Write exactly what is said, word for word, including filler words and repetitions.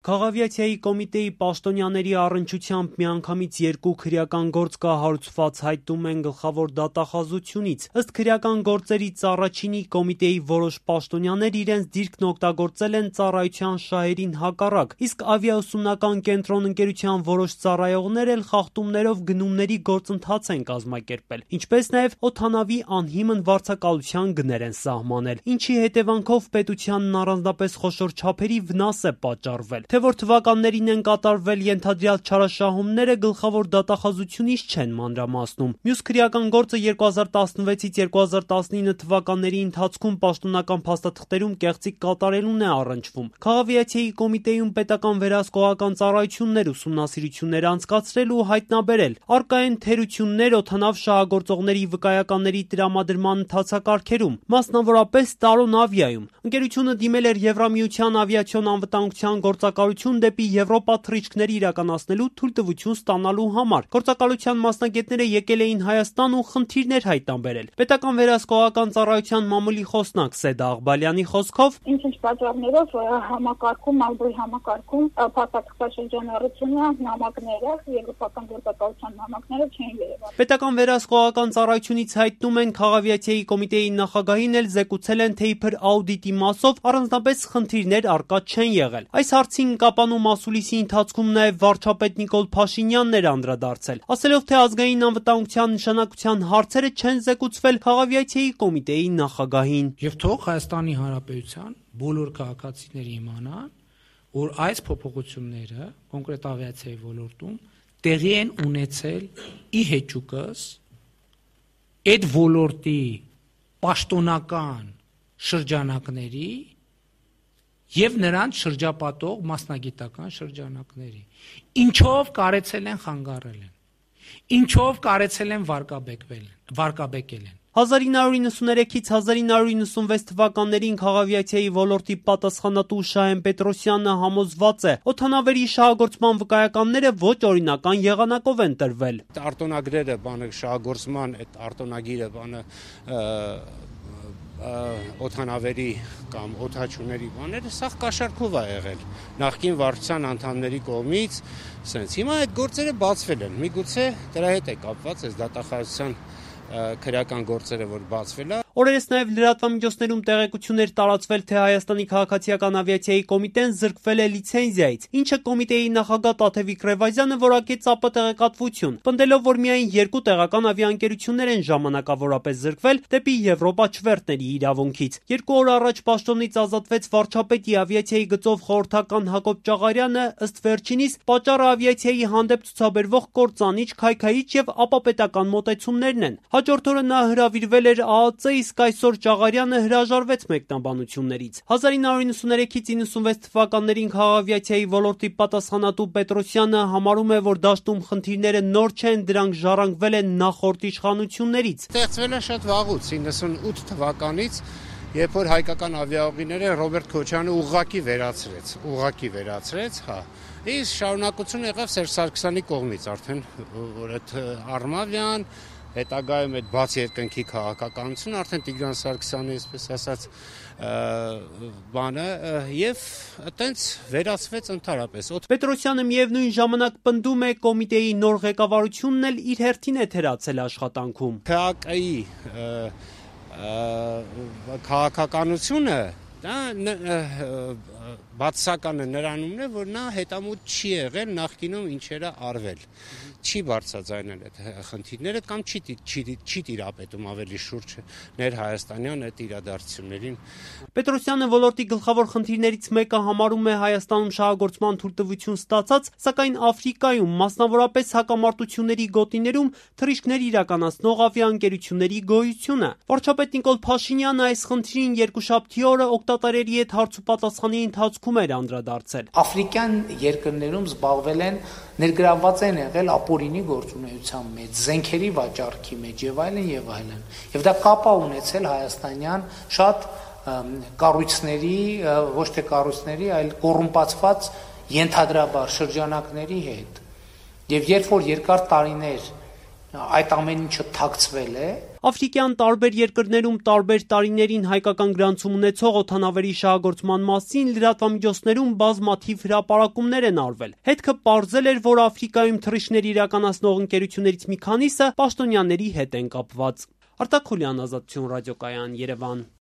Քաղավիացիայի կոմիտեի պաշտոնյաների առնչությամբ միանգամից երկու քրեական գործ կա հարուցված հայտնում են գլխավոր դատախազությունից։ Ըստ քրեական գործերից առաջինի կոմիտեի որոշ պաշտոնյաներ իրենց դիրքն օգտագործել են ծառայության շահերին հակառակ, իսկ ավիաուսումնական կենտրոն ընկերության որոշ ծառայողներ էլ խախտումներով գնումների գործընթաց են կազմակերպել, ինչպես նաև օդանավի անհիմն վարձակալության գներ են սահմանել, ինչի հետևանքով պետությանն առանձնապես խոշոր չափերի վնաս է պատճառվել։ Թե որ թվականներին են կատարվել ենթադրյալ չարաշահումները գլխավոր դատախազությունից չեն մանրամասնում։ Մյուս քրեական գործը երկու հազար տասնվեցից երկու հազար տասնինը թվականների ընթացքում պաշտոնական փաստաթղթերում կեղծիք կատարելուն է առնչվում։ Քաղավիացիայի կոմիտեում պետական վերահսկողական ծառայություններ ուսումնասիրություններ անցկացրել ու հայտնաբերել առկա են թերություններ օդանավ շահագործողների վկայականների տրամադրման ընթացակարգերում, մասնավորապես Տարոն ավիայում։ Ընկերությունը դիմել էր Եվրամիության ավիացիոն անվտանգության գործակալություն դեպի Եվրոպա թռիչքներ իրականացնելու թույլտվություն ստանալու համար։ Գործակալության մասնագետները եկել էին Հայաստան ու խնդիրներ հայտնաբերել։ Պետական վերահսկողական ծառայության մամուլի խոսնակ Սեդա Աղբալյանի խոսքով ինչ-ինչ պատճառներով համակարգում, ալբոյ համակարգում փաստաթղթաշրջանառությունը նամակները, եվրոպական գործակալության նամակները չեն երևալ։ Պետական վերահսկողական ծառայությունից հայտնում են Քաղավիացիայի կոմիտեի նախագահին էլ զեկուցել են, թե իբր աուդիտի մասով առանձնապես խնդիրներ առկա չեն եղել։ Այս հարցին կապանու մասուլիսի ընթացքում նաև վարչապետ Նիկոլ Փաշինյանն էր անդրադարձել, ասելով, թե ազգային անվտանգության նշանակության հարցերը չեն զեկուցվել Քաղավիացիայի կոմիտեի նախագահին։ Եվ թող Հայաստանի Հանրապետության բոլոր քաղաքացիները իմանան, որ այս փոփոխությունները կոնկրետ ավիացիայի ոլորտում տեղի են ունեցել ի հեճուկս այդ ոլորտի պաշտոնական շրջանակների և նրանց շրջապատող մասնագիտական շրջանակների, ինչով կարեցել են խանգարել են, ինչով կարեցել են վարկաբեկել են։ հազար ինը հարյուր նվաթից հազար ինը հարյուր նվաթվեց թվականներին Քաղավիացիայի ոլորտի պատասխանատու Շահեն Պետրոսյանը համոզված է, օդանավերի շահագործման վկայականները ոչ օրինական եղանակով են տրվել։ Արտոնագրերը բանը շահագործման այդ արտոնագիրը բանը օդանավերի կամ օդաչուների բաները սաղ կաշառքով է եղել նախկին վարչության անդամների կողմից, սենց հիմա այդ գործերը բացվել են, միգուցե դրա հետ է կապված այս դատախազության քրեական գործերը, որ բացվել է։ Օրերս նաև լրատվամիջոցներում տեղեկություններ տարածվել, թե Հայաստանի քաղաքացիական ավիացիայի կոմիտեն զրկվել է լիցենզիայից, ինչը կոմիտեի նախագահ Տաթևիկ Ռևազյանը որակեց ԱՊՏ-տեղեկատվություն, պնդելով, որ միայն երկու տեղական ավիաընկերություններ են ժամանակավորապես զրկվել դեպի Եվրոպա չվերթների իրավունքից։ Երկու օր առաջ պաշտոնից ազատվեց վարչապետի ավիացիայի գծով խորհրդական Հակոբ Ճաղարյանը, ըստ վերջինիս պատճառը ավիացիայի հանդեպ ցուցաբերվող կործանիչ, քայքայիչ եւ ապապետական մոտեցումներն են։ Հաջորդ օրը նա հրավիրվել էր ԱԱԾ, իսկ այսօր Ճաղարյանը հրաժարվեց մեկնաբանություններից։ հազար ինը հարյուր նվաթից նվաթվեց թվականներին Քաղավիացիայի ոլորտի պատասխանատու Պետրոսյանը համարում է, որ դաշտում խնդիրները նոր չեն, դրանք ժառանգվել են նախորդ իշխանություններից։ Ստեղծվել է շատ վաղուց, իննսունութ թվականից, երբ որ հայկական ավիաուղիները Ռոբերտ Քոչյանը ուղղակի վերացրեց, ուղղակի վերացրեց, հա։ Իսկ շարունակություն եղավ Սերժ Սարգսյանի կողմից արդեն, որ այդ Արմավյան հետագայում այդ բաց երկնքի քաղաքականությունը արդեն Տիգրան Սարգսյանի, այսպես ասած, բանը եւ այտենց վերացվեց ընդհանրապես։ Պետրոսյանը միևնույն ժամանակ պնդում է կոմիտեի նոր ղեկավարությունն էլ իր հերթին է թերացել աշխատանքում։ ՔԱԿ-ի քաղաքականությունը դա բացասականը նրանումն է, որ նա հետամուտ չի եղել նախկինում ինչերը արվել, չի բարձրաձայնել այդ խնդիրները կամ չի, չի, չի տիրապետում ավելի շուրջ ներհայաստանյան այդ իրադարձություններին։ Պետրոսյանը ոլորտի գլխավոր խնդիրներից մեկը համարում է Հայաստանում շահագործման թույլտվություն ստացած, սակայն Աֆրիկայում, մասնավորապես հակամարտությունների գոտիներում թռիչքներ իրականացնող ավիաընկերությունների գոյությունը։ Վարչապետ Նիկոլ Փաշինյանը այս խնդրին երկուշաբթի օրը օգտատերերի հետ հարցուպատասխանի ընթացքում էր անդրադարձել։ Աֆրիկյան երկրներում զբաղվել են, ներգրավված են եղել ապօրինի գործունեության մեջ, զենքերի վաճառքի մեջ եւ այլն եւ այլն։ Եվ դա կապ է ունեցել հայաստանյան շատ կառույցների, ոչ թե կառույցների, այլ կոռումպացված ենթադրաբար շրջանակների հետ։ Եվ երբ որ երկար տարիներ այդ ամեն ինչը թաքցվել է, Աֆրիկյան տարբեր երկրներում տարբեր տարիներին հայկական գրանցում ունեցող օդանավերի շահագործման մասին լրատվամիջոցներում բազմաթիվ հրապարակումներ են արվել։ Հետքը պարզել էր, որ Աֆրիկայում թռիչքներ իրականացնող ընկերություններից մի քանիսը պաշտոնյաների հետ են կապված։ Արտակ Խուլյան, Ազատություն ռադիոկայան, Երևան։